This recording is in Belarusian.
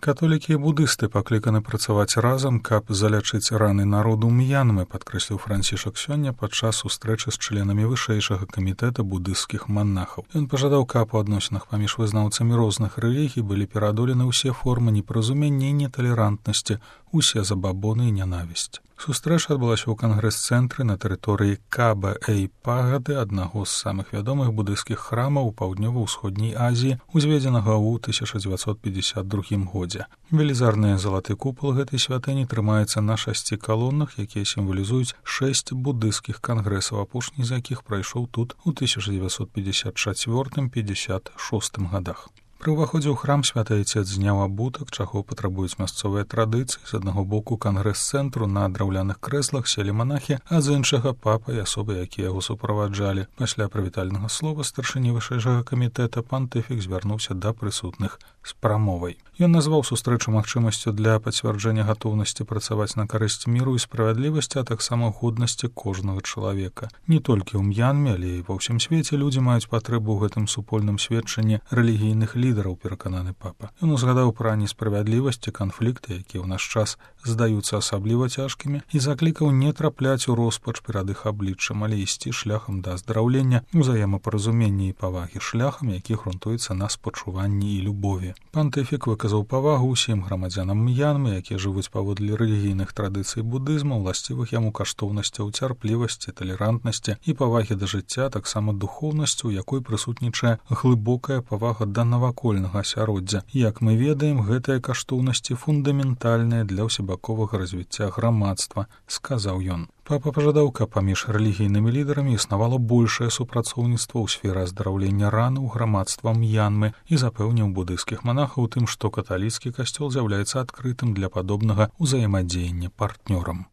Католікі і будысты пакліканы працаваць разам, каб залячыць раны народу М'янмы, падкрэсліў Францішак сёння падчас сустрэчы з членамі вышэйшага камітэта будысцкіх манахаў. Ён пажадаў, каб у адносінах паміж вызнаўцамі розных рэлігій былі пераадолены ўсе формы непаразумення і неталерантнасці, усе забабоны і нянавісць. Сустрэча адбылася ў кангрэс-цэнтры на тэрыторыі Каба-Эй-Пагады, аднаго з самых вядомых будысцкіх храмаў у паўднёва-ўсходняй Азіі, узведзенага ў 1952 годзе. Велізарны залаты купал гэтай святыні трымаецца на 6 калонах, якія сімвалізуюць 6 будысцкіх кангрэсаў, апошні з якіх прайшоў тут у 1954-56 годах. Пры ўваходзе ў храм святы айцец зняў абутак, чаго патрабуюць мясцовыя традыцыі. З аднаго боку кангрэс-цэнтру на драўляных крэслах селі манахі, а з іншага папа і асобы, якія яго суправаджалі. Пасля прывітальнага слова старшыні вышэйшага камітэта пантыфік звярнуўся да прысутных з прамовай. Ён назваў сустрэчу магчымасцю для пацвярджэння гатоўнасці працаваць на карысць міру і справядлівасці, а таксама годнасці кожнага чалавека. Не толькі ў М'янме, але і ва ўсім свеце людзі маюць патрэбу ў гэтым супольным сведчанні рэлігійных лідараў, перакананы папа. Ён узгадаў пра несправядлівасць і канфлікты, якія ў наш час здаюцца асабліва цяжкімі, і заклікаў не трапляць у роспач перад іх абліччам, але ісці шляхам да аздараўлення, узаемапаразумення і павагі, шляхам, які грунтуецца на спачуванні і любові. Пантыфік выказаў павагу ўсім грамадзянам М'янмы, якія жывуць паводле рэлігійных традыцый будызму, уласцівых яму каштоўнасцяў цярплівасці, талерантнасці і павагі да жыцця, таксама духоўнасцю, у якой прысутнічае глыбокая павага да навакольнага асяроддзя. Як мы ведаем, гэтыя каштоўнасці фундаментальныя для ўсебаковага развіцця грамадства, сказаў ён. Папа пажадаў, каб паміж рэлігійнымі лідарамі існавала большае супрацоўніцтва ў сферы аздараўлення ран у грамадства М'янмы і запэўніў будысцкіх манахаў тым, што каталіцкі касцёл з'яўляецца адкрытым для падобнага ўзаемадзеяння партнёрам.